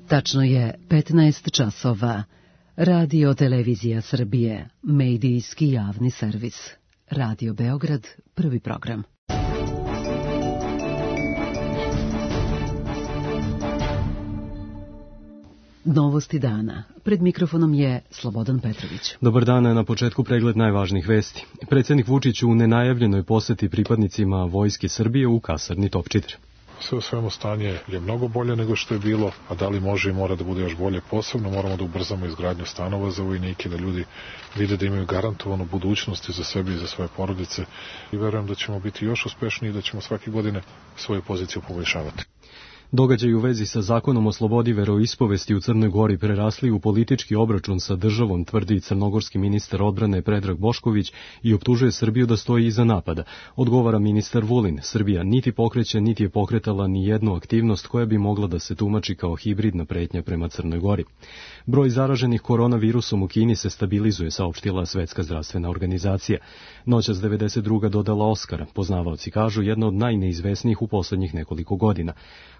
Tačno je 15 časova. Radio Televizija Srbije, medijski javni servis. Radio Beograd, prvi program. Novosti dana. Pred mikrofonom je Slobodan Petrović. Dobar dan, na početku pregled najvažnijih vesti. Predsjednik Vučić u nenajavljenoj poseti pripadnicima Vojske Srbije u kasarni Topčider. Sve u svemu stanje je mnogo bolje nego što je bilo, a da li može i mora da bude još bolje. Posebno moramo da ubrzamo izgradnju stanova za vojnike, da ljudi vide da imaju garantovanu budućnost za sebe i za svoje porodice. I verujem da ćemo biti još uspešniji i da ćemo svake godine svoju poziciju poboljšavati. Događaji u vezi sa zakonom o slobodi veroispovesti u Crnoj Gori prerasli u politički obračun sa državom, tvrdi crnogorski ministar odbrane Predrag Bošković i optužuje Srbiju da stoji iza napada. Odgovara ministar Vulin, Srbija niti pokreće, niti je pokretala ni jednu aktivnost koja bi mogla da se tumači kao hibridna pretnja prema Crnoj Gori. Broj zaraženih koronavirusom u Kini se stabilizuje, saopštila Svetska zdravstvena organizacija. Noćas 92. dodala Oskara, poznavaoci kažu jedna od najneizvesnijih u poslednjih nekoliko godina.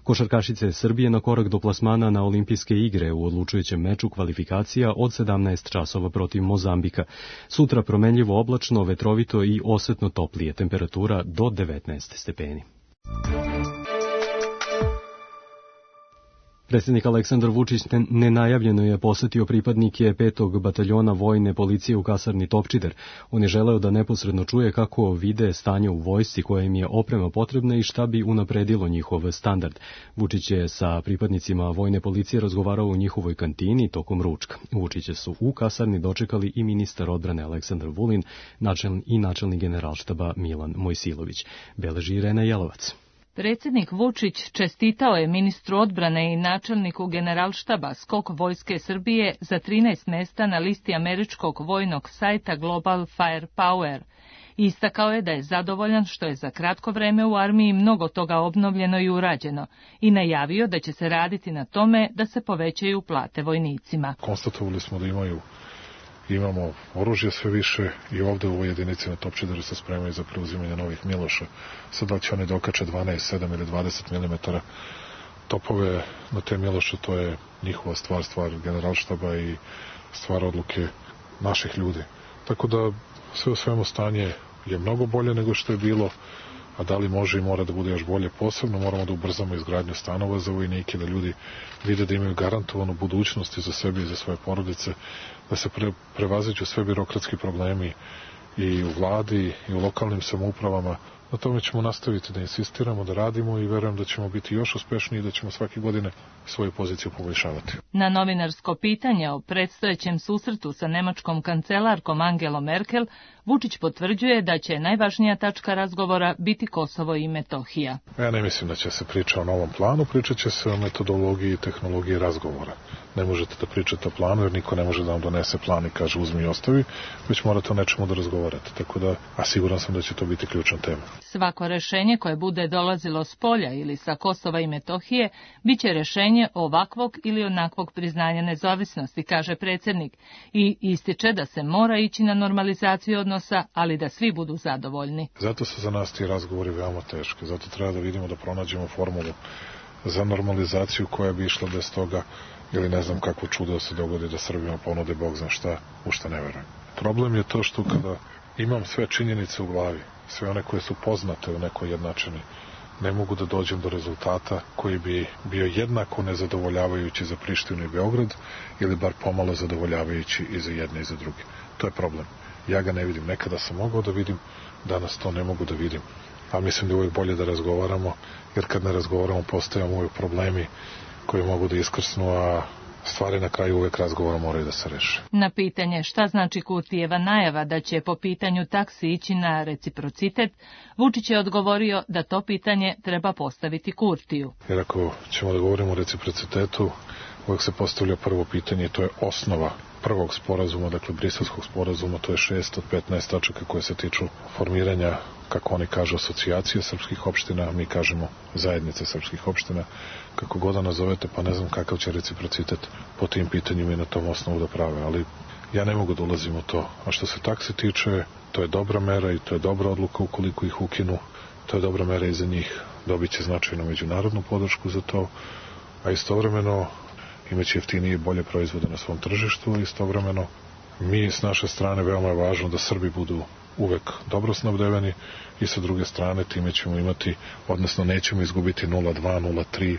Košarkašice Srbije na korak do plasmana na olimpijske igre u odlučujućem meču kvalifikacija od 17 časova protiv Mozambika. Sutra promenljivo oblačno, vetrovito i osetno toplije, temperatura do 19 stepeni. Predsjednik Aleksandar Vučić nenajavljeno je posetio pripadnike 5. bataljona vojne policije u kasarni Topčider. On je želeo da neposredno čuje kako vide stanje u vojsci, koja im je oprema potrebna i šta bi unapredilo njihov standard. Vučić je sa pripadnicima vojne policije razgovarao u njihovoj kantini tokom ručka. Vučića su u kasarni dočekali i ministar odbrane Aleksandar Vulin i načelnik generalštaba Milan Mojsilović. Beleži Irena Jelovac. Predsjednik Vučić čestitao je ministru odbrane i načelniku generalštaba skok Vojske Srbije za 13 mesta na listi američkog vojnog sajta Global Firepower. Istakao je da je zadovoljan što je za kratko vreme u armiji mnogo toga obnovljeno i urađeno i najavio da će se raditi na tome da se povećaju plate vojnicima. Konstatovali smo da imamo oružje sve više i ovde u ovoj jedinici na Topčideru se spremaju za preuzimanje novih Miloša. Sad da će oni dokače 12, 7 ili 20 mm topove na te Miloše, to je njihova stvar generalštaba i stvar odluke naših ljudi. Tako da sve u svemu stanje je mnogo bolje nego što je bilo, a da li može i mora da bude još bolje. Posebno moramo da ubrzamo izgradnju stanova za vojnike, da ljudi vide da imaju garantovanu budućnost za sebe i za svoje porodice, da se prevaziđu sve birokratski problemi i u vladi i u lokalnim samoupravama. Na tome ćemo nastaviti da insistiramo, da radimo i verujem da ćemo biti još uspešniji i da ćemo svake godine svoju poziciju poboljšavati. Na novinarsko pitanje o predstojećem susretu sa nemačkom kancelarkom Angelom Merkel, Vučić potvrđuje da će najvažnija tačka razgovora biti Kosovo i Metohija. Ja ne mislim da će se priča o novom planu, pričat će se o metodologiji i tehnologiji razgovora. Ne možete da pričate o planu jer niko ne može da vam donese plan i kaže uzmi i ostavi, već morate o nečemu da razgovarate. Tako da, a siguran sam da će to biti ključna tema. Svako rešenje koje bude dolazilo s polja ili sa Kosova i Metohije bit će rešenje ovakvog ili onakvog priznanja nezavisnosti, kaže predsjednik, i ističe da se mora ići na normalizaciju odnosa, ali da svi budu zadovoljni. Zato su za nas ti razgovori veoma teški, zato treba da vidimo da pronađemo formulu za normalizaciju koja bi išla bez toga ili ne znam kakvo čudo se dogodi da Srbima ponude Bog zna šta, u šta ne verujem. Problem je to što kada imam sve činjenice u glavi, sve one koje su poznate u nekoj jednačini, ne mogu da dođem do rezultata koji bi bio jednako nezadovoljavajući za Prištinu i Beograd ili bar pomalo zadovoljavajući i za jedne i za druge. To je problem. Ja ga ne vidim. Nekada sam mogao da vidim, danas to ne mogu da vidim. A mislim da je uvijek bolje da razgovaramo, jer kad ne razgovaramo postajamo uvijek problemi koji mogu da iskrsnu, a stvari na kraju uvijek razgovora moraju da se reše. Na pitanje šta znači Kurtijeva najava da će po pitanju taksi ići na reciprocitet, Vučić je odgovorio da to pitanje treba postaviti Kurtiju. Jer ako ćemo da govorimo o reciprocitetu, uvijek se postavlja prvo pitanje i to je osnova prvog sporazuma, dakle Briselskog sporazuma, to je 6 od 15 tačaka koje se tiču formiranja, kako oni kažu, asocijacije srpskih opština, a mi kažemo zajednice srpskih opština, kako god da nazovete, pa ne znam kakav će reciprocitet po tim pitanjima i na tom osnovu da prave, ali ja ne mogu da ulazim u to. A što se taksi tiče, to je dobra mera i to je dobra odluka ukoliko ih ukinu, to je dobra mera i za njih, dobit će značajnu međunarodnu podršku za to, a istovremeno imaće jeftinije i bolje proizvode na svom tržištu, a istovremeno mi s naše strane veoma je važno da Srbi budu uvek dobro snabdeveni i sa druge strane time ćemo imati, odnosno nećemo izgubiti 0,2, 0,3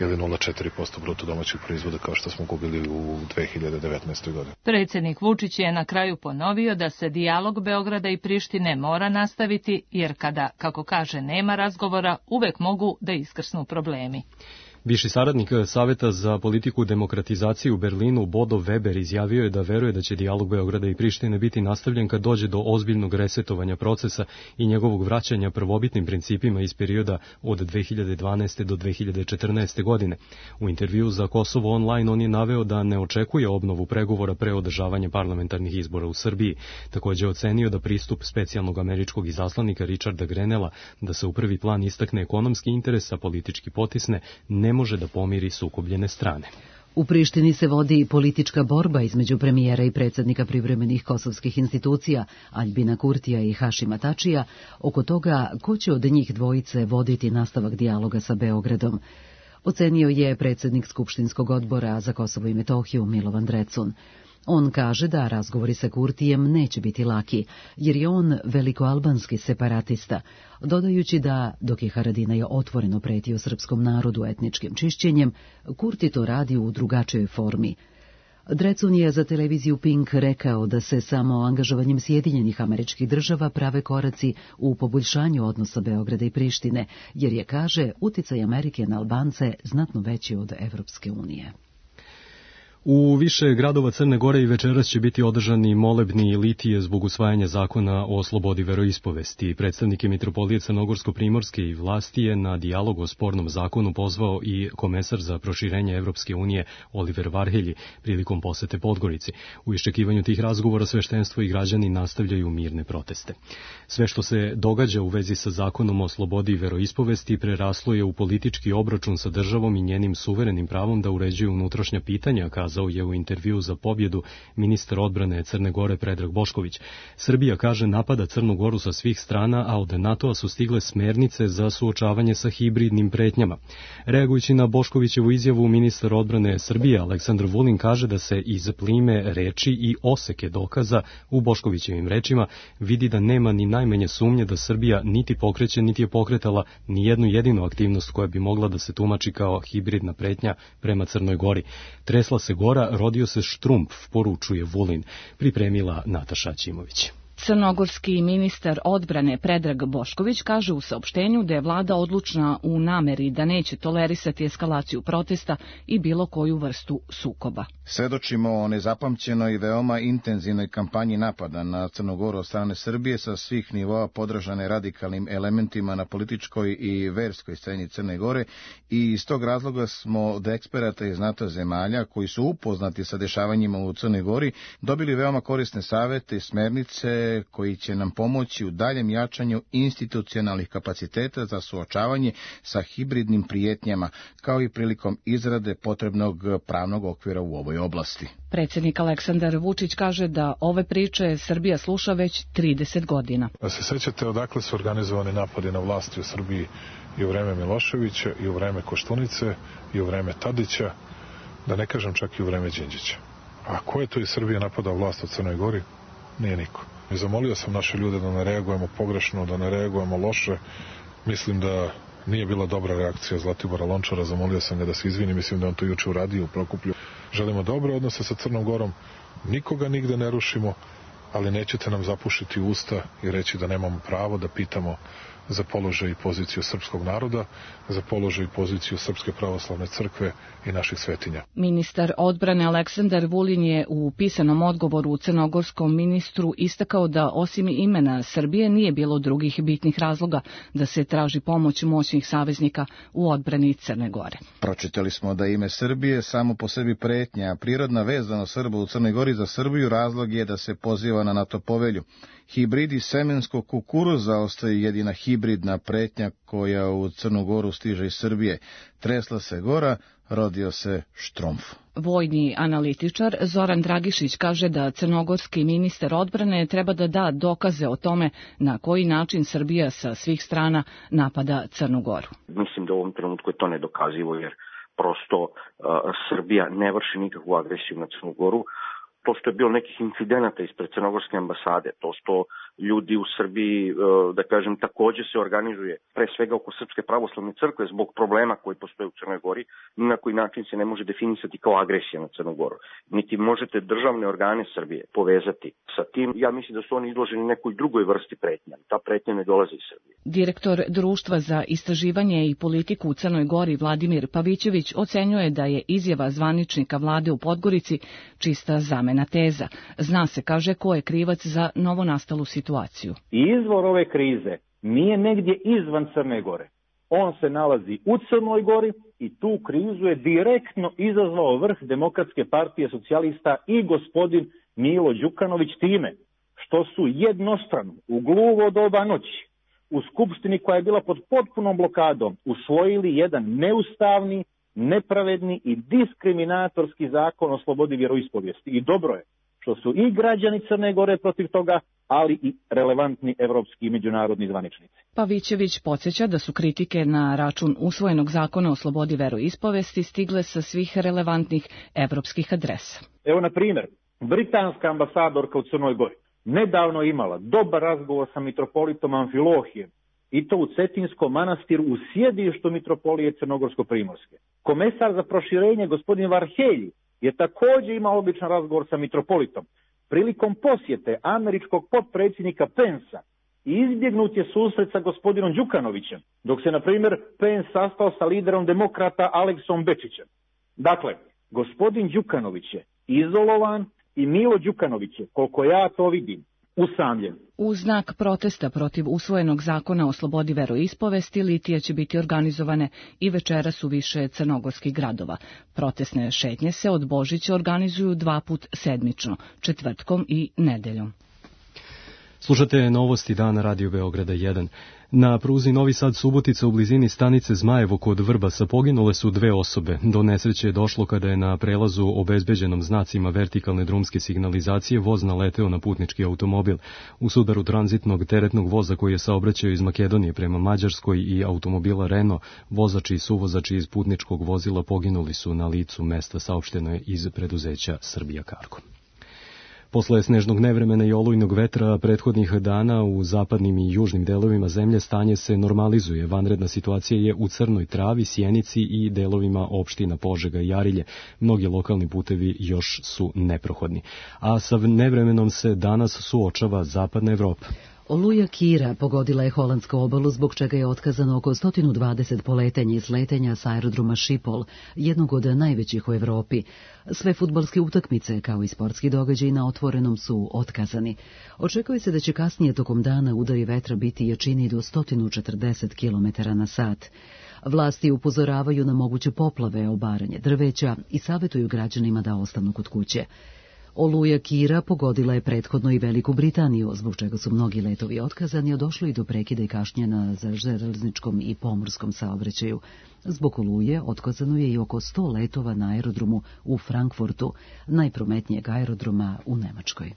ili 0,4% bruto domaćeg proizvoda kao što smo gubili u 2019. godini. Predsjednik Vučić je na kraju ponovio da se dijalog Beograda i Prištine mora nastaviti, jer kada, kako kaže, nema razgovora, uvek mogu da iskrsnu problemi. Viši saradnik Saveta za politiku demokratizacije u Berlinu, Bodo Weber, izjavio je da veruje da će dijalog Beograda i Prištine biti nastavljen kad dođe do ozbiljnog resetovanja procesa i njegovog vraćanja prvobitnim principima iz perioda od 2012. do 2014. godine. U intervju za Kosovo Online on je naveo da ne očekuje obnovu pregovora pre održavanja parlamentarnih izbora u Srbiji. Također je ocenio da pristup specijalnog američkog izaslanika Richarda Grenella da se u prvi plan istakne ekonomski interes, a politički potisne, ne može da pomiri sukobljene strane. U Prištini se vodi politička borba između premijera i predsjednika privremenih kosovskih institucija, Aljbina Kurtija i Hašima Tačija, oko toga ko će od njih dvojice voditi nastavak dijaloga sa Beogradom. Ocenio je predsjednik Skupštinskog odbora za Kosovo i Metohiju Milovan Drecun. On kaže da razgovori sa Kurtijem neće biti laki, jer je on velikoalbanski separatista, dodajući da, dok je Haradinaj otvoreno pretio srpskom narodu etničkim čišćenjem, Kurti to radi u drugačijoj formi. Drecun je za televiziju Pink rekao da se samo angažovanjem Sjedinjenih Američkih Država prave koraci u poboljšanju odnosa Beograda i Prištine, jer je, kaže, uticaj Amerike na Albance znatno veći od Evropske unije. U više gradova Crne Gore i večeras će biti održani molebni litije zbog usvajanja zakona o slobodi veroispovesti. Predstavnike Mitropolije Crnogorsko-Primorske i vlasti je na dijalog o spornom zakonu pozvao i komesar za proširenje Evropske unije Oliver Varhelji prilikom posete Podgorici. U iščekivanju tih razgovora sveštenstvo i građani nastavljaju mirne proteste. Sve što se događa u vezi sa zakonom o slobodi veroispovesti preraslo je u politički obračun sa državom i njenim suverenim pravom da uređuju unutrašnja pitanja, kazao je u intervju za Pobjedu ministar odbrane Crne Gore Predrag Bošković. Srbija, kaže, napada Crnu Goru sa svih strana, a od NATO-a su stigle smernice za suočavanje sa hibridnim pretnjama. Reagujući na Boškovićevu izjavu, ministar odbrane Srbije Aleksandar Vulin kaže da se iz plime reči i oseke dokaza u Boškovićevim rečima vidi da nema ni najmanje sumnje da Srbija niti pokreće, niti je pokretala ni jednu jedinu aktivnost koja bi mogla da se tumači kao hibridna pretnja prema Crnoj Gori. Tresla se Gora, rodio se Štrumpf, poručuje Vulin, pripremila Nataša Ćimović. Crnogorski ministar odbrane Predrag Bošković kaže u saopštenju da je vlada odlučna u nameri da neće tolerisati eskalaciju protesta i bilo koju vrstu sukoba. Svedočimo o nezapamćenoj i veoma intenzivnoj kampanji napada na Crnu Goru od strane Srbije sa svih nivoa podržane radikalnim elementima na političkoj i verskoj sceni Crne Gore i iz tog razloga smo od eksperata iz NATO zemalja koji su upoznati sa dešavanjima u Crnoj Gori dobili veoma korisne savete i smernice koji će nam pomoći u daljem jačanju institucionalnih kapaciteta za suočavanje sa hibridnim prijetnjama, kao i prilikom izrade potrebnog pravnog okvira u ovoj oblasti. Predsjednik Aleksandar Vučić kaže da ove priče Srbija sluša već 30 godina. Se sećate odakle su organizovani napadi na vlasti u Srbiji i u vreme Miloševića, i u vreme Koštunice, i u vreme Tadića, da ne kažem čak i u vreme Đinđića. A ko je to iz Srbije napadao vlast u Crnoj Gori? Nije niko. I zamolio sam naše ljude da ne reagujemo pogrešno, da ne reagujemo loše. Mislim da nije bila dobra reakcija Zlatibora Lončara, zamolio sam ga da se izvini, mislim da on to juče uradio u Prokuplju. Želimo dobre odnose sa Crnom Gorom, nikoga nigde ne rušimo, ali nećete nam zapušiti usta i reći da nemamo pravo da pitamo za položaj i poziciju srpskog naroda, za položaj i poziciju Srpske pravoslavne crkve i naših svetinja. Ministar odbrane Aleksandar Vulin je u pisanom odgovoru crnogorskom ministru istakao da osim imena Srbije nije bilo drugih bitnih razloga da se traži pomoć moćnih saveznika u odbrani Crne Gore. Pročitali smo da ime Srbije samo po sebi pretnja, a prirodna vezanost Srba u Crnoj Gori za Srbiju razlog je da se poziva na NATO povelju. Hibridi semenskog kukuruza ostaju jedina hibridna pretnja koja u Crnu Goru stiže iz Srbije. Tresla se Gora, rodio se Štrumpf. Vojni analitičar Zoran Dragišić kaže da crnogorski ministar odbrane treba da da dokaze o tome na koji način Srbija sa svih strana napada Crnu Goru. Mislim da u ovom trenutku je to nedokazivo, jer prosto Srbija ne vrši nikakvu agresiju na Crnu Goru. To što je bilo nekih incidenata ispred crnogorske ambasade, to što ljudi u Srbiji, da kažem, takođe se organizuje, pre svega oko Srpske pravoslavne crkve, zbog problema koji postoje u Crnoj Gori, ni na koji način se ne može definisati kao agresija na Crnu Goru. Niti možete državne organe Srbije povezati sa tim. Ja mislim da su oni izloženi nekoj drugoj vrsti pretnja. Ta pretnja ne dolazi iz Srbije. Direktor Društva za istraživanje i politiku u Crnoj Gori Vladimir Pavićević ocenjuje da je izjava zvaničnika vlade u Podgorici čista zamena teza. Zna se, kaže, ko je krivac za novonastalu situaciju. Izvor ove krize nije negdje izvan Crne Gore. On se nalazi u Crnoj Gori i tu krizu je direktno izazvao vrh Demokratske partije socijalista i gospodin Milo Đukanović time što su jednostrano u gluvo doba noći u Skupštini koja je bila pod potpunom blokadom usvojili jedan neustavni, nepravedni i diskriminatorski zakon o slobodi vjeroispovijesti. I dobro je što su i građani Crne Gore protiv toga, ali i relevantni evropski i međunarodni zvaničnici. Pavićević podsjeća da su kritike na račun usvojenog zakona o slobodi veroispovesti stigle sa svih relevantnih evropskih adresa. Evo, na primjer, britanska ambasadorka u Crnoj Gori nedavno imala dobar razgovor sa mitropolitom Amfilohijem, i to u Cetinskom manastiru u sjedištu mitropolije Crnogorsko-Primorske. Komesar za proširenje gospodin Varhelji je također imao običan razgovor sa mitropolitom. Prilikom posjete američkog potpredsjednika Pensa izbjegnut je susret sa gospodinom Đukanovićem, dok se, na primjer, Pence sastao sa liderom demokrata Aleksom Bečićem. Dakle, gospodin Đukanović je izolovan i Milo Đukanović je, koliko ja to vidim, usamljen. U znak protesta protiv usvojenog zakona o slobodi veroispovesti litije će biti organizovane i večeras u više crnogorskih gradova. Protestne šetnje se od Božića organizuju 2 puta sedmično, četvrtkom i nedeljom. Slušate novosti dana Radio Beograda 1. Na pruzi Novi Sad-Subotica u blizini stanice Zmajevo kod Vrbasa poginule su 2 osobe. Do nesreće je došlo kada je na prelazu obezbeđenom znacima vertikalne drumske signalizacije voz naleteo na putnički automobil. U sudaru tranzitnog teretnog voza koji je saobraćao iz Makedonije prema Mađarskoj i automobila Renault, vozači i suvozači iz putničkog vozila poginuli su na licu mesta, saopšteno je iz preduzeća Srbija Cargo. Posle snežnog nevremena i olujnog vetra prethodnih dana u zapadnim i južnim delovima zemlje stanje se normalizuje. Vanredna situacija je u Crnoj Travi, Sjenici i delovima opština Požega i Jarilje. Mnogi lokalni putevi još su neprohodni. A sa nevremenom se danas suočava zapadna Evropa. Oluja Kira pogodila je holandsku obalu, zbog čega je otkazano oko 120 poletenja i sletanja s aerodroma Schiphol, jednog od najvećih u Evropi. Sve fudbalske utakmice, kao i sportski događaji na otvorenom, su otkazani. Očekuje se da će kasnije tokom dana udari vetra biti jačini do 140 km/h. Vlasti upozoravaju na moguće poplave, obaranje drveća i savjetuju građanima da ostanu kod kuće. Oluja Kira pogodila je prethodno i Veliku Britaniju, zbog čega su mnogi letovi otkazani, a došlo i do prekida i kašnjenja za železničkom i pomorskom saobraćaju. Zbog oluje otkazano je i oko 100 letova na aerodromu u Frankfurtu, najprometnijeg aerodroma u Nemačkoj.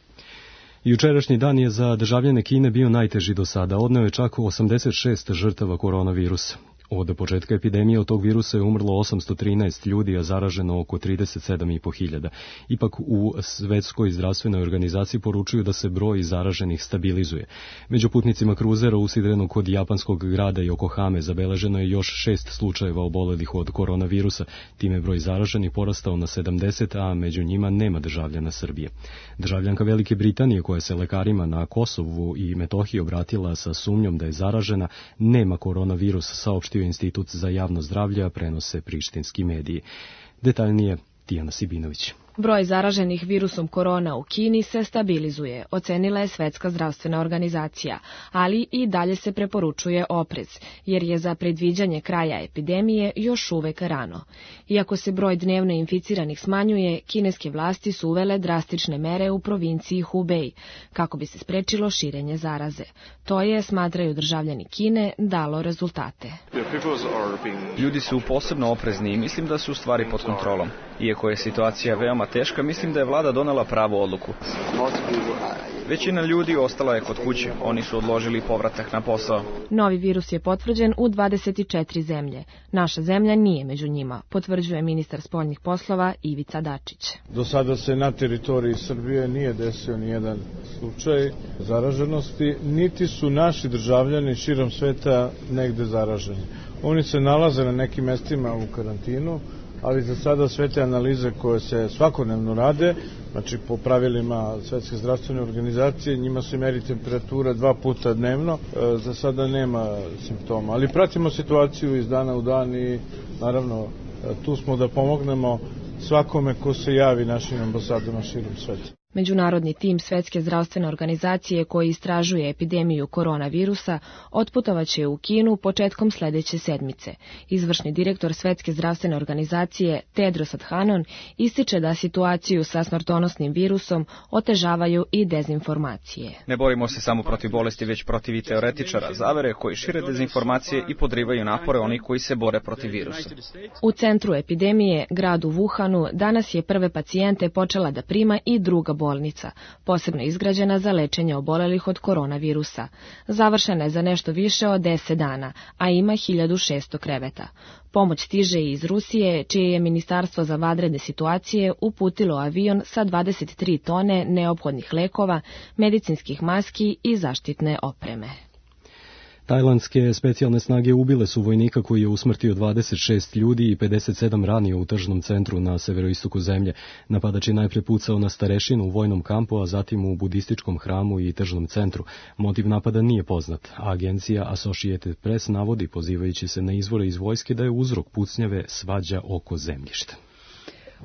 Jučerašnji dan je za državljane Kine bio najteži do sada. Odneo je čak 86 žrtava koronavirusa. Od početka epidemije od tog virusa je umrlo 813 ljudi, a zaraženo oko 37.500. Ipak u Svetskoj zdravstvenoj organizaciji poručuju da se broj zaraženih stabilizuje. Među putnicima kruzera usidrenog kod japanskog grada Yokohame zabeleženo je još 6 slučajeva obolelih od koronavirusa. Time je broj zaraženih porastao na 70, a među njima nema državljana Srbije. Državljanka Velike Britanije, koja se lekarima na Kosovu i Metohiji obratila sa sumnjom da je zaražena, nema koronavirus, saopštio Institut za javno zdravlje, prenose prištinski mediji. Detaljnije Tijana Sibinović. Broj zaraženih virusom korona u Kini se stabilizuje, ocenila je Svetska zdravstvena organizacija, ali i dalje se preporučuje oprez, jer je za predviđanje kraja epidemije još uvek rano. Iako se broj dnevno inficiranih smanjuje, kineske vlasti su uvele drastične mere u provinciji Hubei, kako bi se sprečilo širenje zaraze. To je, smatraju državljani Kine, dalo rezultate. Ljudi su posebno oprezni i mislim da su stvari pod kontrolom. Iako je situacija veoma veoma teška, mislim da je vlada donela pravu odluku. Većina ljudi ostala je kod kuće, oni su odložili povratak na posao. Novi virus je potvrđen u 24 zemlje. Naša zemlja nije među njima, potvrđuje ministar spoljnih poslova Ivica Dačić. Do sada se na teritoriji Srbije nije desio nijedan slučaj zaraženosti, niti su naši državljani širom sveta negde zaraženi. Oni se nalaze na nekim mestima u karantinu, ali za sada sve te analize koje se svakodnevno rade, znači po pravilima Svetske zdravstvene organizacije, njima se meri temperatura 2 puta dnevno, za sada nema simptoma. Ali pratimo situaciju iz dana u dan i naravno tu smo da pomognemo svakome ko se javi našim ambasadama širom sveta. Međunarodni tim Svetske zdravstvene organizacije koji istražuje epidemiju koronavirusa otputovaće u Kinu početkom sledeće sedmice. Izvršni direktor Svetske zdravstvene organizacije Tedros Adhanom ističe da situaciju sa smrtonosnim virusom otežavaju i dezinformacije. Ne borimo se samo protiv bolesti, već protiv i teoretičara zavere koji šire dezinformacije i podrivaju napore onih koji se bore protiv virusa. U centru epidemije, gradu Wuhanu, danas je prve pacijente počela da prima i druga bolnica, posebno izgrađena za lečenje obolelih od koronavirusa. Završena je za nešto više od 10 dana, a ima 1600 kreveta. Pomoć stiže i iz Rusije, čije je Ministarstvo za vanredne situacije uputilo avion sa 23 tone neophodnih lekova, medicinskih maski i zaštitne opreme. Tajlandske specijalne snage ubile su vojnika koji je usmrtio 26 ljudi i 57 ranio u tržnom centru na severoistoku zemlje. Napadač je najpre pucao na starešinu u vojnom kampu, a zatim u budističkom hramu i tržnom centru. Motiv napada nije poznat, a agencija Associated Press navodi, pozivajući se na izvore iz vojske, da je uzrok pucnjave svađa oko zemljišta.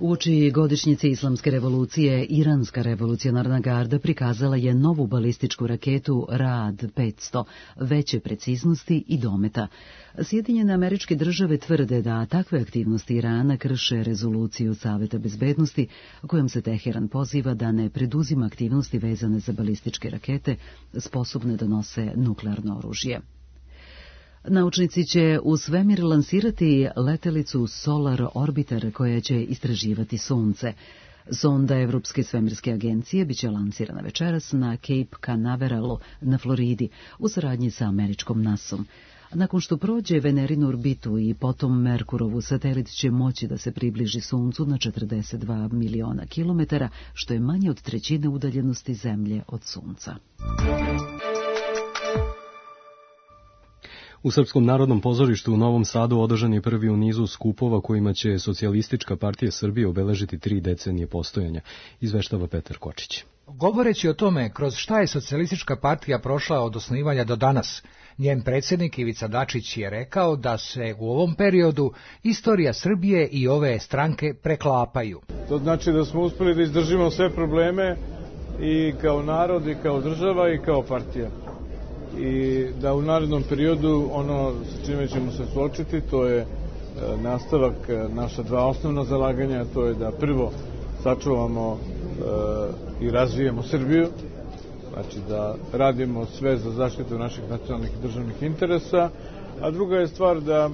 Uoči godišnjice Islamske revolucije, Iranska revolucionarna garda prikazala je novu balističku raketu Raad 500, veće preciznosti i dometa. Sjedinjene Američke Države tvrde da takve aktivnosti Irana krše rezoluciju Saveta bezbednosti, kojom se Teheran poziva da ne preduzima aktivnosti vezane za balističke rakete sposobne da nose nuklearno oružje. Naučnici će u svemir lansirati letelicu Solar Orbiter koja će istraživati Sunce. Sonda Evropske svemirske agencije biće lansirana večeras na Cape Canaveralu na Floridi u saradnji sa američkom NASA-om. Nakon što prođe Venerinu orbitu i potom Merkurovu, satelit će moći da se približi Suncu na 42 miliona kilometara, što je manje od trećine udaljenosti Zemlje od Sunca. U Srpskom narodnom pozorištu u Novom Sadu održan je prvi u nizu skupova kojima će Socijalistička partija Srbije obeležiti 3 decenije postojanja, izveštava Petar Kočić. Govoreći o tome kroz šta je Socijalistička partija prošla od osnivanja do danas, njen predsjednik Ivica Dačić je rekao da se u ovom periodu istorija Srbije i ove stranke preklapaju. To znači da smo uspeli da izdržimo sve probleme i kao narod, i kao država, i kao partija. I da u narednom periodu ono sa čime ćemo se suočiti, to je nastavak naša 2 osnovna zalaganja, to je da prvo sačuvamo i razvijemo Srbiju, znači da radimo sve za zaštitu naših nacionalnih i državnih interesa, a druga je stvar da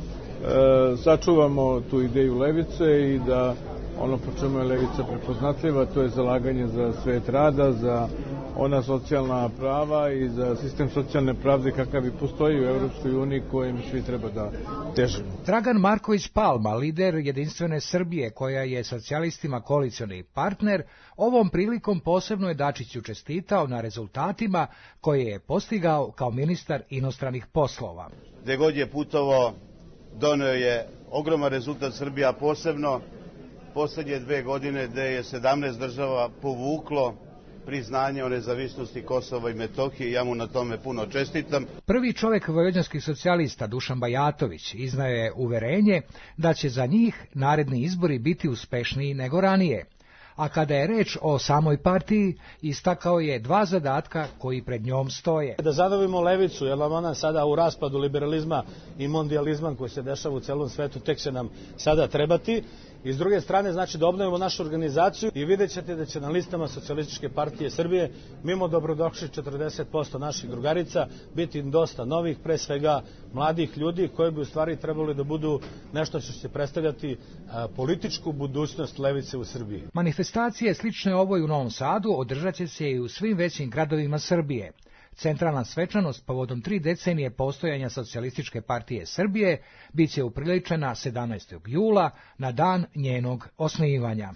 sačuvamo tu ideju levice i da ono po čemu je levica prepoznatljiva, to je zalaganje za svet rada, za ona socijalna prava i za sistem socijalne pravde kakav i postoji u Evropskoj uniji kojem svi treba da težimo. Dragan Marković Palma, lider Jedinstvene Srbije, koja je socijalistima koalicioni partner, ovom prilikom posebno je Dačiću čestitao na rezultatima koje je postigao kao ministar inostranih poslova. Gde god je putovao, doneo je ogroman rezultat Srbija, posebno poslednje 2 godine gde je 17 država povuklo priznanje o nezavisnosti Kosova i Metohije, ja mu na tome puno čestitam. Prvi čovjek vojvođanskih socijalista, Dušan Bajatović, iznao je uverenje da će za njih naredni izbori biti uspešniji nego ranije. A kada je reč o samoj partiji, istakao je 2 zadatka koji pred njom stoje. Da zadavimo levicu, jer ona sada u raspadu liberalizma i mondializma koji se dešava u celom svetu, tek će nam sada trebati. I s druge strane, znači da obnovimo našu organizaciju i vidjet ćete da će na listama Socijalističke partije Srbije, mimo dobrodošli 40% naših drugarica, biti dosta novih, pre svega mladih ljudi koji bi u stvari trebali da budu nešto što će predstavljati političku budućnost levice u Srbiji. Manifestacije slične ovoj u Novom Sadu održat će se i u svim većim gradovima Srbije. Centralna svečanost povodom 3 decenije postojanja Socijalističke partije Srbije biće upriličena 17. jula na dan njenog osnivanja.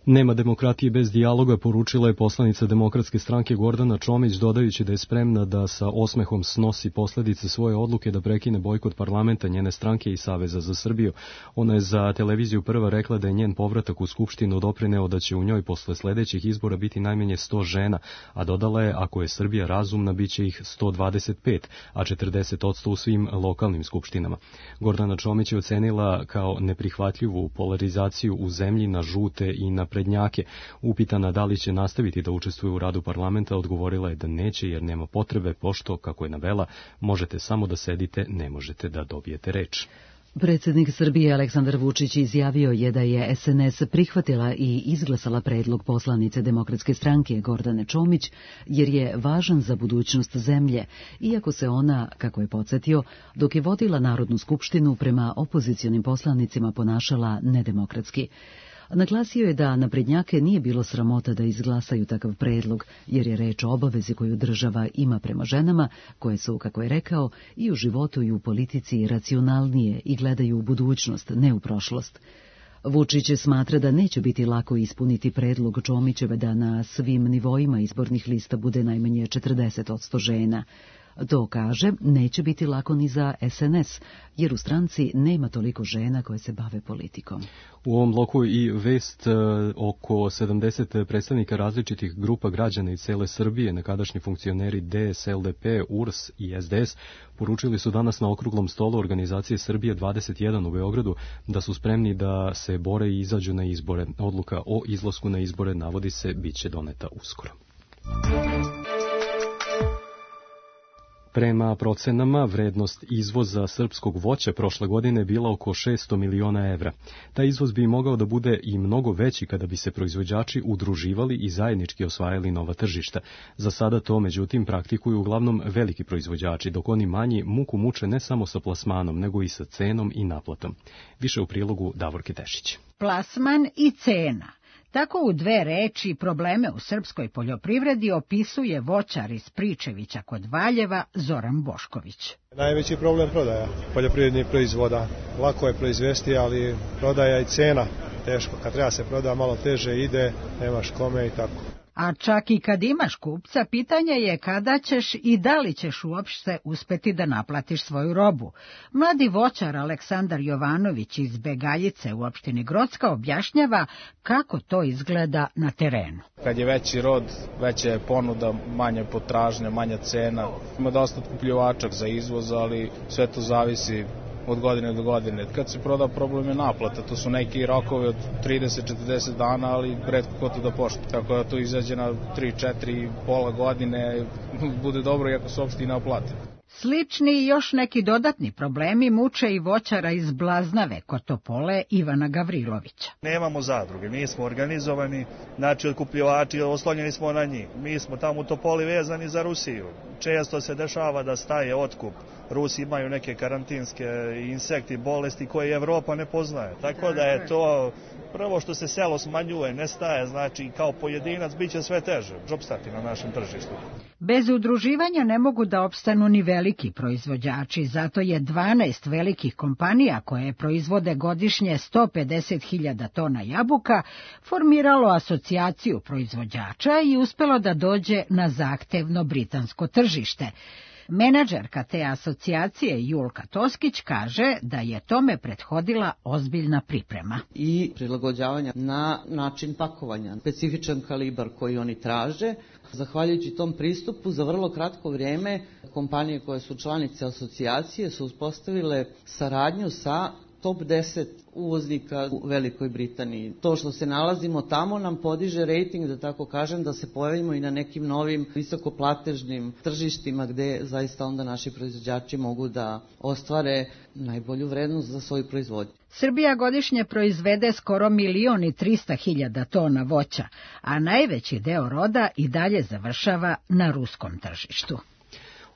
Nema demokratije bez dijaloga, poručila je poslanica Demokratske stranke Gordana Čomić, dodajući da je spremna da sa osmehom snosi posledice svoje odluke da prekine bojkot parlamenta njene stranke i Saveza za Srbiju. Ona je za televiziju Prva rekla da je njen povratak u Skupštinu doprineo da će u njoj posle sledećih izbora biti najmanje 100 žena, a dodala je ako je Srbija razumna biće ih 125, a 40% u svim lokalnim skupštinama. Gordana Čomić je ocenila kao neprihvatljivu polarizaciju u zemlji na žute i na prednjake. Upitana da li će nastaviti da učestvuje u radu parlamenta, odgovorila je da neće jer nema potrebe, pošto, kako je navela, možete samo da sedite, ne možete da dobijete reč. Predsjednik Srbije Aleksandar Vučić izjavio je da je SNS prihvatila i izglasala predlog poslanice Demokratske stranke Gordane Čomić, jer je važan za budućnost zemlje, iako se ona, kako je podsjetio, dok je vodila Narodnu skupštinu prema opozicionim poslanicima ponašala nedemokratski. Naglasio je da naprednjake nije bilo sramota da izglasaju takav predlog, jer je reč o obavezi koju država ima prema ženama, koje su, kako je rekao, i u životu i u politici racionalnije i gledaju u budućnost, ne u prošlost. Vučić smatra da neće biti lako ispuniti predlog Čomićeve da na svim nivoima izbornih lista bude najmanje 40% žena. To, kaže, neće biti lako ni za SNS, jer u stranci nema toliko žena koje se bave politikom. U ovom bloku i vest oko 70 predstavnika različitih grupa građana iz cele Srbije, nekadašnji funkcioneri DS, LDP, URS i SDS, poručili su danas na okruglom stolu organizacije Srbije 21 u Beogradu da su spremni da se bore i izađu na izbore. Odluka o izlasku na izbore, navodi se, biće doneta uskoro. Prema procenama, vrednost izvoza srpskog voća prošle godine bila oko 600 miliona evra. Taj izvoz bi mogao da bude i mnogo veći kada bi se proizvođači udruživali i zajednički osvajali nova tržišta. Za sada to, međutim, praktikuju uglavnom veliki proizvođači, dok oni manji muku muče ne samo sa plasmanom, nego i sa cenom i naplatom. Više u prilogu Davorke Tešić. Plasman i cena. Tako u 2 reči probleme u srpskoj poljoprivredi opisuje voćar iz Pričevića kod Valjeva Zoran Bošković. Najveći problem prodaja poljoprivrednih proizvoda. Lako je proizvesti, ali prodaja i cena teško. Kad treba se proda, malo teže ide, nemaš kome i tako. A čak i kad imaš kupca, pitanje je kada ćeš i da li ćeš uopšte uspeti da naplatiš svoju robu. Mladi voćar Aleksandar Jovanović iz Begaljice u opštini Grocka objašnjava kako to izgleda na terenu. Kad je veći rod, veća je ponuda, manja potražnja, manja cena. Ima dosta otkupljivača za izvoz, ali sve to zavisi od godine do godine. Kad se proda, problem je naplata. To su neki rokovi od 30-40 dana, ali retko ko to da poštuje. Tako da to izađe na 3-4, pola godine, bude dobro iako se uopšte i ne oplati. Slični i još neki dodatni problemi muče i voćara iz Blaznave kod Topole Ivana Gavrilovića. Nemamo zadruge, nismo organizovani, znači otkupljivači, oslonjeni smo na njih. Mi smo tamo u Topoli vezani za Rusiju. Često se dešava da staje otkup. Rusi imaju neke karantinske insekti, bolesti koje Evropa ne poznaje. Tako da je to prvo što se selo smanjuje, nestaje, znači kao pojedinac biće sve teže opstati na našem tržištu. Bez udruživanja ne mogu da opstanu ni veliki proizvođači, zato je 12 velikih kompanija koje proizvode godišnje 150.000 tona jabuka formiralo asocijaciju proizvođača i uspelo da dođe na zahtevno britansko tržište. Menadžerka te asocijacije Julka Toskić kaže da je tome prethodila ozbiljna priprema. I prilagođavanja na način pakovanja, specifičan kalibar koji oni traže. Zahvaljujući tom pristupu, za vrlo kratko vrijeme kompanije koje su članice asocijacije su uspostavile saradnju sa top 10 uvoznika u Velikoj Britaniji. To što se nalazimo tamo nam podiže rejting, da tako kažem, da se pojavimo i na nekim novim visokoplatežnim tržištima gde zaista onda naši proizvođači mogu da ostvare najbolju vrednost za svoju proizvodnju. Srbija godišnje proizvede skoro 1.300.000 tona voća, a najveći deo roda i dalje završava na ruskom tržištu.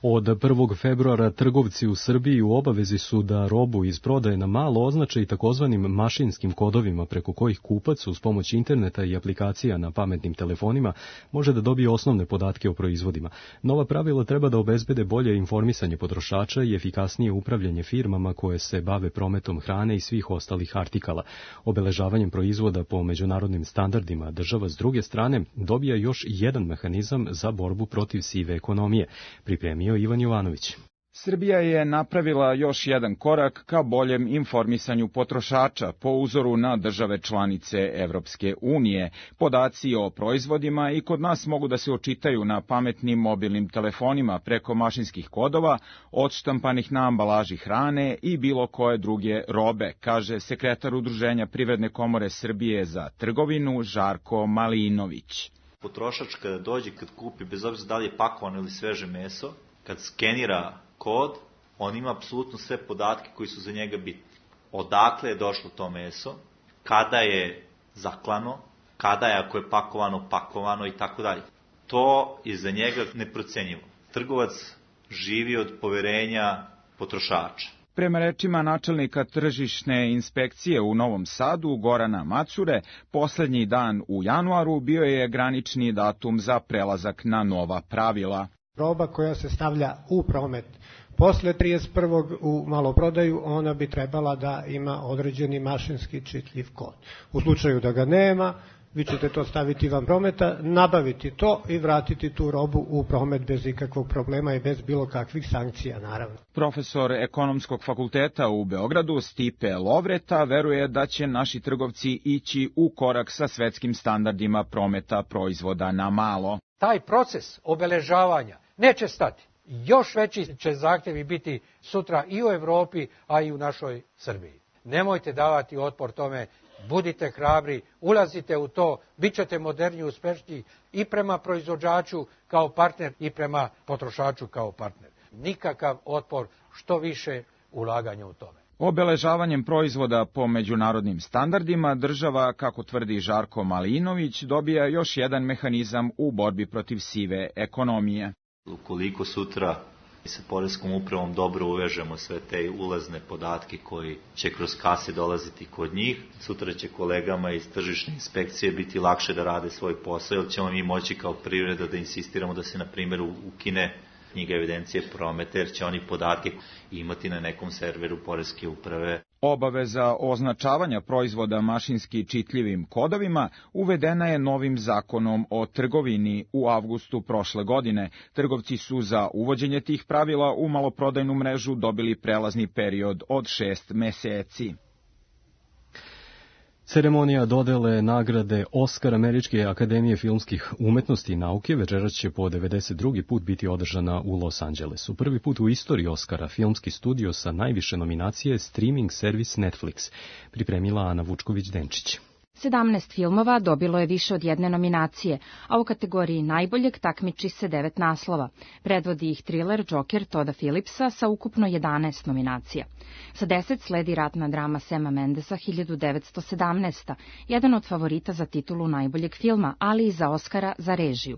Od 1. februara trgovci u Srbiji u obavezi su da robu iz prodaje na malo označe i takozvanim mašinskim kodovima preko kojih kupac uz pomoć interneta i aplikacija na pametnim telefonima može da dobije osnovne podatke o proizvodima. Nova pravila treba da obezbede bolje informisanje potrošača i efikasnije upravljanje firmama koje se bave prometom hrane i svih ostalih artikala. Obeležavanjem proizvoda po međunarodnim standardima država s druge strane dobija još jedan mehanizam za borbu protiv sive ekonomije, pripremio Ivan Jovanović. Srbija je napravila još jedan korak ka boljem informisanju potrošača po uzoru na države članice Evropske unije. Podaci o proizvodima i kod nas mogu da se očitaju na pametnim mobilnim telefonima preko mašinskih kodova, odštampanih na ambalaži hrane i bilo koje druge robe, kaže sekretar Udruženja Privredne komore Srbije za trgovinu Žarko Malinović. Potrošač kada dođe, kad kupi, bez obzira da li je pakovano ili sveže meso, kad skenira kod, on ima apsolutno sve podatke koji su za njega bitni. Odakle je došlo to meso, kada je zaklano, kada je, ako je pakovano i tako dalje. To je za njega neprocenjivo. Trgovac živi od poverenja potrošača. Prema rečima načelnika tržišne inspekcije u Novom Sadu, Gorana Macure, poslednji dan u januaru bio je granični datum za prelazak na nova pravila. Roba koja se stavlja u promet posle 31. u maloprodaju, ona bi trebala da ima određeni mašinski čitljiv kod. U slučaju da ga nema, vi ćete to staviti van prometa, nabaviti to i vratiti tu robu u promet bez ikakvog problema i bez bilo kakvih sankcija, naravno. Profesor Ekonomskog fakulteta u Beogradu Stipe Lovreta veruje da će naši trgovci ići u korak sa svetskim standardima prometa proizvoda na malo. Taj proces obeležavanja neće stati. Još veći će zahtjevi biti sutra i u Evropi, a i u našoj Srbiji. Nemojte davati otpor tome, budite hrabri, ulazite u to, bit ćete moderni i uspešni i prema proizvođaču kao partner i prema potrošaču kao partner. Nikakav otpor, što više ulaganja u tome. Obeležavanjem proizvoda po međunarodnim standardima država, kako tvrdi Žarko Malinović, dobija još jedan mehanizam u borbi protiv sive ekonomije. Ukoliko sutra sa poreskom upravom dobro uvežemo sve te ulazne podatke koji će kroz kase dolaziti kod njih, sutra će kolegama iz tržišne inspekcije biti lakše da rade svoj posao, jer ćemo mi moći kao privreda da insistiramo da se, na primjer, ukine knjiga evidencije prometa, jer će oni podatke imati na nekom serveru poreske uprave. Obaveza označavanja proizvoda mašinski čitljivim kodovima uvedena je novim zakonom o trgovini u avgustu prošle godine. Trgovci su za uvođenje tih pravila u maloprodajnu mrežu dobili prelazni period od 6 meseci. Ceremonija dodele nagrade Oskar Američke akademije filmskih umetnosti i nauke večeras će po 92. put biti održana u Los Angelesu. Prvi put u istoriji Oskara filmski studio sa najviše nominacije je streaming servis Netflix, pripremila Ana Vučković-Denčić. 17 filmova dobilo je više od jedne nominacije, a u kategoriji najboljeg takmiči se 9 naslova. Predvodi ih triler Joker Todda Phillipsa sa ukupno 11 nominacija. Sa 10 sledi ratna drama Sama Mendesa 1917, jedan od favorita za titulu najboljeg filma, ali i za Oskara za režiju.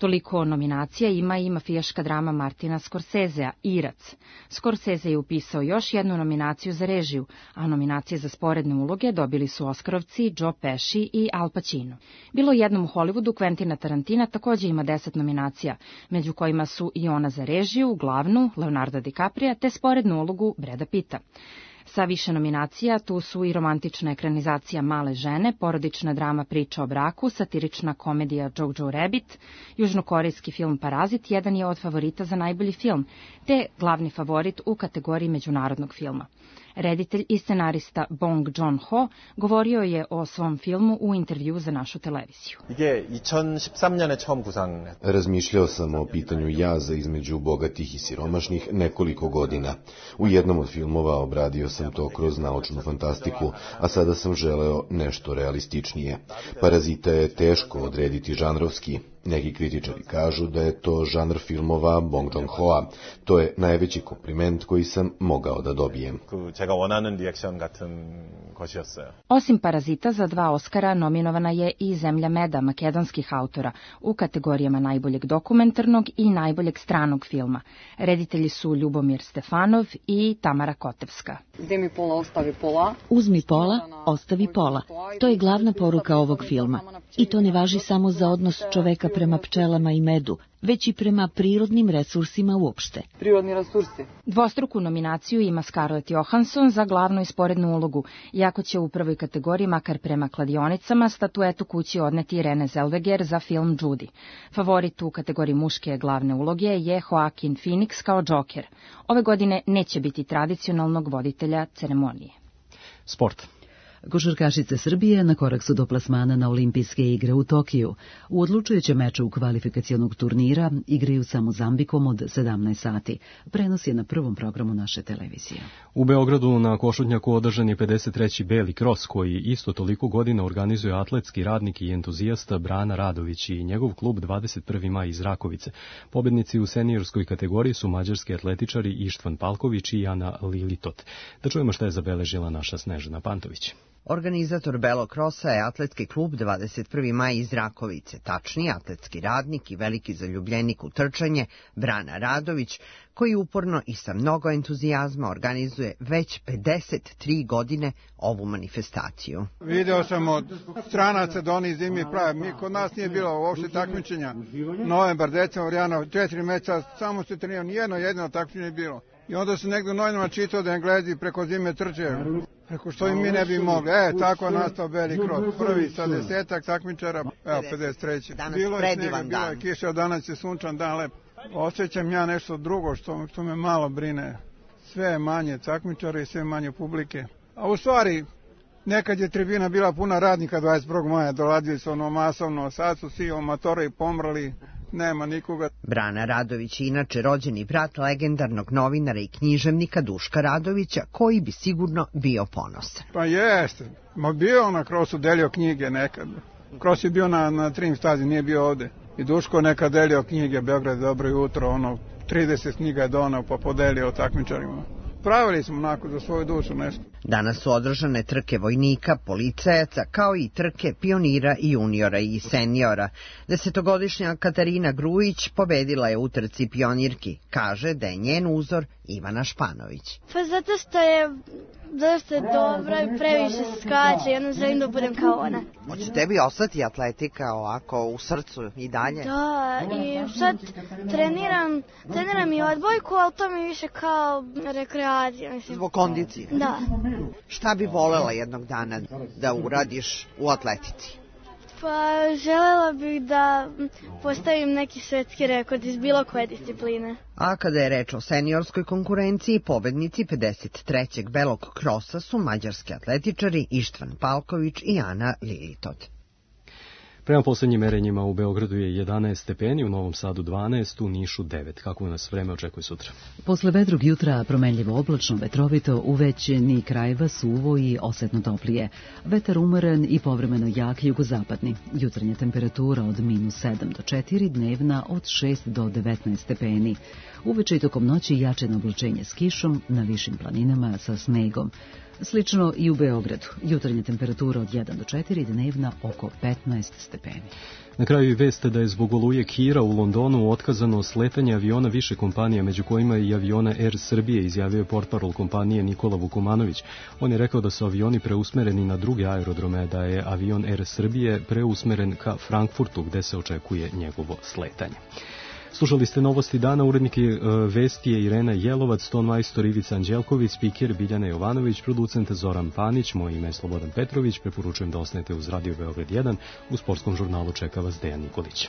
Toliko nominacija ima i mafijaška drama Martina Scorsesea, Irac. Scorsese je upisao još jednu nominaciju za režiju, a nominacije za sporedne uloge dobili su Oskarovci Joe Pesci i Al Pacino. Bilo jednom u Hollywoodu Quentina Tarantina također ima 10 nominacija, među kojima su i ona za režiju, glavnu, Leonardo DiCaprio, te sporednu ulogu Brada Pitta. Sa više nominacija tu su i romantična ekranizacija Male žene, porodična drama Priča o braku, satirična komedija Jojo Rabbit, južnokorejski film Parazit, jedan je od favorita za najbolji film, te glavni favorit u kategoriji međunarodnog filma. Reditelj i scenarista Bong Joon-ho govorio je o svom filmu u intervju za našu televiziju. Razmišljao sam o pitanju jaza između bogatih i siromašnih nekoliko godina. U jednom od filmova obradio sam to kroz naučnu fantastiku, a sada sam želeo nešto realističnije. Parazita je teško odrediti žanrovski. Neki kritičari kažu da je to žanr filmova Bong Joon-hoa. To je najveći kompliment koji sam mogao da dobijem. Osim Parazita, za 2 Oskara nominovana je i Zemlja meda makedonskih autora u kategorijama najboljeg dokumentarnog i najboljeg stranog filma. Reditelji su Ljubomir Stefanov i Tamara Kotevska. Uzmi pola, ostavi pola. To je glavna poruka ovog filma. I to ne važi samo za odnos čoveka prema pčelama i medu, već i prema prirodnim resursima uopšte. Dvostruku nominaciju ima Scarlett Johansson za glavnu i sporednu ulogu, iako će u prvoj kategoriji, makar prema kladionicama, statuetu kući odneti Renée Zellweger za film Judy. Favorit u kategoriji muške glavne uloge je Joaquin Phoenix kao Joker. Ove godine neće biti tradicionalnog voditelja ceremonije. Sport. Košarkašice Srbije na korak su do plasmana na olimpijske igre u Tokiju. U odlučujućem meču kvalifikacionog turnira igraju sa Mozambikom od 17 sati. Prenos je na prvom programu naše televizije. U Beogradu na Košutnjaku održan je 53. Beli kros, koji isto toliko godina organizuje atletski radnik i entuzijasta Brana Radović i njegov klub 21. maj iz Rakovice. Pobednici u seniorskoj kategoriji su mađarski atletičari Ištvan Palković i Ana Lilitot. Da čujemo šta je zabeležila naša Snežana Pantović. Organizator Belog krosa je atletski klub 21. maj iz Rakovice, tačnije atletski radnik i veliki zaljubljenik u trčanje Brana Radović, koji uporno i sa mnogo entuzijazma organizuje već 53 godine ovu manifestaciju. Video sam od stranaca da oni zimi prave. Kod nas nije bilo uopšte takmičenja. Novembar, decembar, januar, 4 meseca, samo se trenirao, nijedno jedino takmičenje je bilo. I onda se negdje u novinama čitao da Englezi preko zime trče. Preko što i mi ne bi mogli. Tako je nastao Beli kros. Prvi sa 10 takmičara, 53. Danas bilo je predivan snega, bila je kiša, danas je sunčan dan, lep. Osjećam ja nešto drugo što me malo brine. Sve je manje takmičara i sve manje publike. A u stvari, nekad je tribina bila puna radnika 21. maja, dolazili su masovno, sad su svi amatori pomrli. Nema nikoga. Brana Radović je inače rođeni brat legendarnog novinara i književnika Duška Radovića, koji bi sigurno bio ponosan. Pa jeste. Bio na krosu, delio knjige nekad. Kros je bio na Trim stazi, nije bio ovde. I Duško nekad delio knjige, Beograd dobro jutro, 30 knjiga je donao pa podelio takmičarima. Pravili smo onako za svoju dušu nešto. Danas su održane trke vojnika, policajaca, kao i trke pionira i juniora i seniora. 10-godišnja Katarina Grujić pobedila je u trci pionirki. Kaže da je njen uzor Ivana Španović. Pa zato što je dosta dobra i previše skače i onda želim da budem kao ona. Hoće tebi ostati atletika ovako u srcu i dalje? Da, i sad treniram i odbojku, ali to mi više kao rekreacija. Mislim. Zbog kondicije? Da. Šta bi volela jednog dana da uradiš u atletici? Pa želela bih da postavim neki svetski rekord iz bilo koje discipline. A kada je reč o seniorskoj konkurenciji, pobednici 53. Belog krosa su mađarski atletičari Ištvan Palković i Ana Lilitot. Prema poslednjim merenjima u Beogradu je 11 stepeni, u Novom Sadu 12, u Nišu 9. Kako nas vreme očekuje sutra? Posle vedrog jutra promenljivo oblačno, vetrovito, u većini krajeva suvo i osetno toplije. Vetar umeren i povremeno jak jugozapadni. Jutarnja temperatura od -7 do 4, dnevna od 6 do 19 stepeni. Uveče i tokom noći jačeno oblačenje s kišom, na višim planinama sa snegom. Slično i u Beogradu. Jutarnja temperatura od 1 do 4, dnevna oko 15 stepeni. Na kraju i vest da je zbog oluje Kira u Londonu otkazano sletanje aviona više kompanija, među kojima i aviona Air Srbije, izjavio je portparol kompanije Nikola Vukomanović. On je rekao da su avioni preusmereni na druge aerodrome, da je avion Air Srbije preusmeren ka Frankfurtu, gde se očekuje njegovo sletanje. Slušali ste novosti dana, uredniki vesti je Irena Jelovac, ton majstor Ivica Anđelković, spiker Biljana Jovanović, producent Zoran Panić, moje ime je Slobodan Petrović, preporučujem da ostanete uz Radio Beograd 1, u sportskom žurnalu čeka vas Dejan Nikolić.